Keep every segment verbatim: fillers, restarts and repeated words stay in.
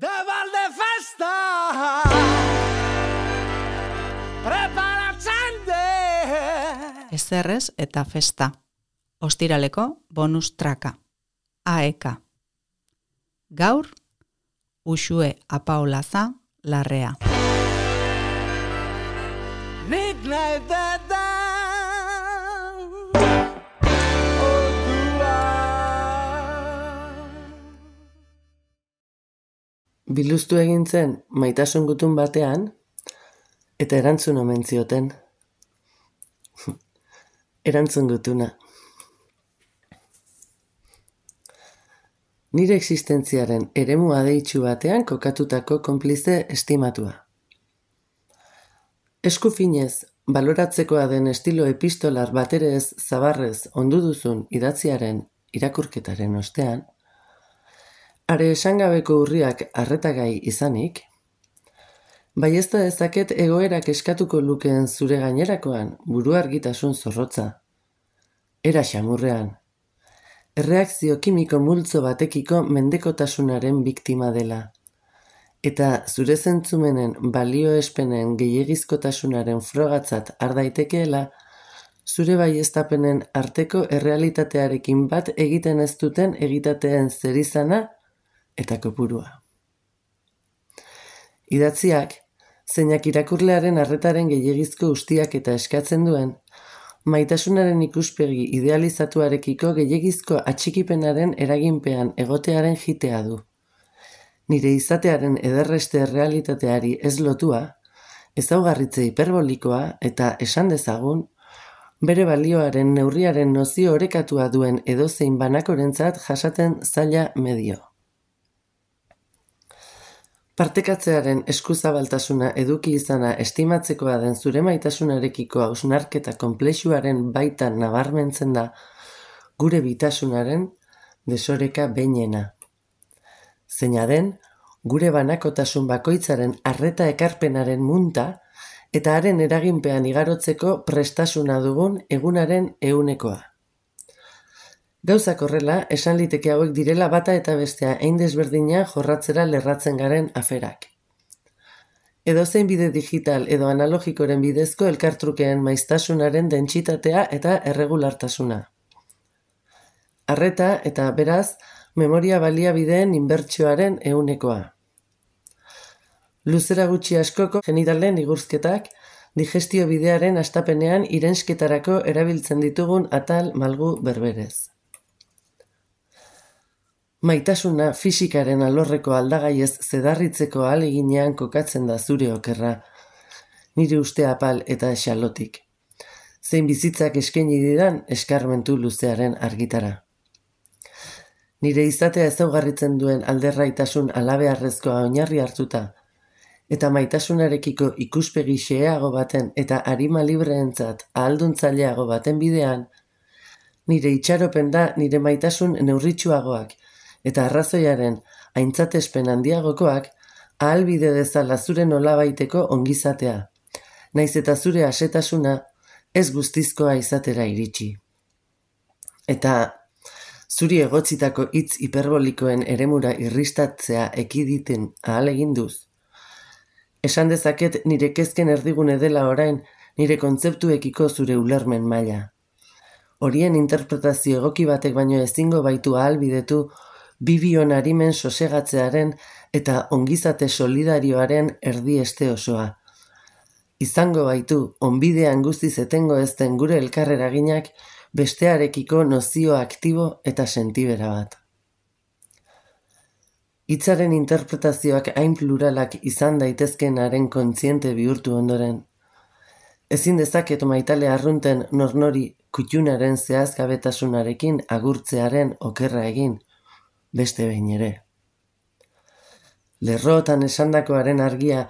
De Valdefesta preparatzen de Ezerrez eta festa. Ostiraleko bonus traka. A E K. Gaur, Uxue Apaolaza Larrea. Nik nahi deda Biluztu egin zen maitasun gutun batean, eta erantzun omen zioten. Erantzun gutuna. Nire existentziaren eremu adeitsu batean kokatutako konplize estimatua. Esku finez, baloratzekoa den estilo epistolar batere ez zabarrez ondu duzun idatziaren irakurketaren ostean, are esangabeko urriak arretagai izanik, baiezta dezaket egoerak eskatuko lukeen zure gainerakoan buru argitasun zorrotza, era xamurrean, erreakzio kimiko multzo batekiko mendekotasunaren biktima dela, eta zure zentzumenen balioespenen gehiegizkotasunaren frogatzat har daitekeela, zure baieztapenen arteko errealitatearekin bat egiten ez duten egitateen zerizana eta kopurua. Idatziak, zeinak irakurlearen arretaren gehiegizko ustiak eta eskatzen duen, maitasunaren ikuspegi idealizatuarekiko gehiegizko atxikipenaren eraginpean egotearen jitea du. Nire izatearen ederreste errealitateari ez lotua, ezaugarritze hiperbolikoa eta esan dezagun, bere balioaren neurriaren nozio orekatua duen edozein banakorentzat jasaten zaila medio. Partekatzearen eskuzabaltasuna eduki izana estimatzekoa den zure maitasunarekiko hausnarketa konplexuaren baitan nabarmentzen da gure bitasunaren desoreka behinena. Zeina den, gure banakotasun bakoitzaren arreta ekarpenaren munta eta haren eraginpean igarotzeko prestasuna dugun egunaren ehunekoa. Gauzak horrela, esan liteke hauek direla bata eta bestea hein desberdina jorratzera lerratzen garen aferak. Edozein bide digital edo analogikoren bidezko elkartrukeen maiztasunaren dentsitatea eta erregulartasuna. Arreta eta, beraz, memoria baliabideen inbertsioaren ehunekoa. Luzera gutxi askoko genitalen igurzketak, digestio bidearen hastapenean irensketarako erabiltzen ditugun atal malgu berberez. Maitasuna fisikaren alorreko aldagaiez zedarritzeko ahaleginean kokatzen da zure okerra, nire uste apal eta xalotik. Zein bizitzak eskaini didan eskarmentu luzearen argitara. Nire izatea ezaugarritzen duen alderraitasun alabeharrezkoa oinarri hartuta, eta maitasunarekiko ikuspegi xeheago baten eta arima libreentzat ahalduntzaileago baten bidean, nire itxaropen da nire maitasun neurritsuagoak, eta arrazoiaren aintzatespen handiagokoak ahalbide dezala zure nolabaiteko ongizatea, naiz eta zure asetasuna ez guztizkoa izatera iritsi. Eta zuri egotzitako hitz hiperbolikoen eremura irristatzea ekiditen ahaleginduz, esan dezaket nire kezken erdigune dela orain nire kontzeptuekiko zure ulermen maila. Horien interpretazio egoki batek baino ezingo baitu ahalbidetu bibion arimen sosegatzearen eta ongizate solidarioaren erdieste osoa. Izango baitu, onbidean guztiz etengo ezten gure elkarreraginak bestearekiko nozio aktibo eta sentibera bat. Hitzaren interpretazioak hain pluralak izan daitezkenaren kontziente bihurtu ondoren. Ezin dezaket maitale arrunten nornori kutxunaren zehazgabetasunarekin agurtzearen okerra egin, beste behin ere. Lerrotan esandakoaren argia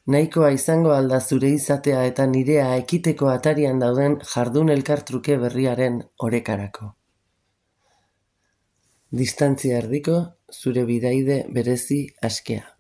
nahikoa izango alda zure izatea eta nirea ekiteko atarian dauden jardun elkartruke berriaren orekarako. Distantzia erdiko zure bidaide berezi askea.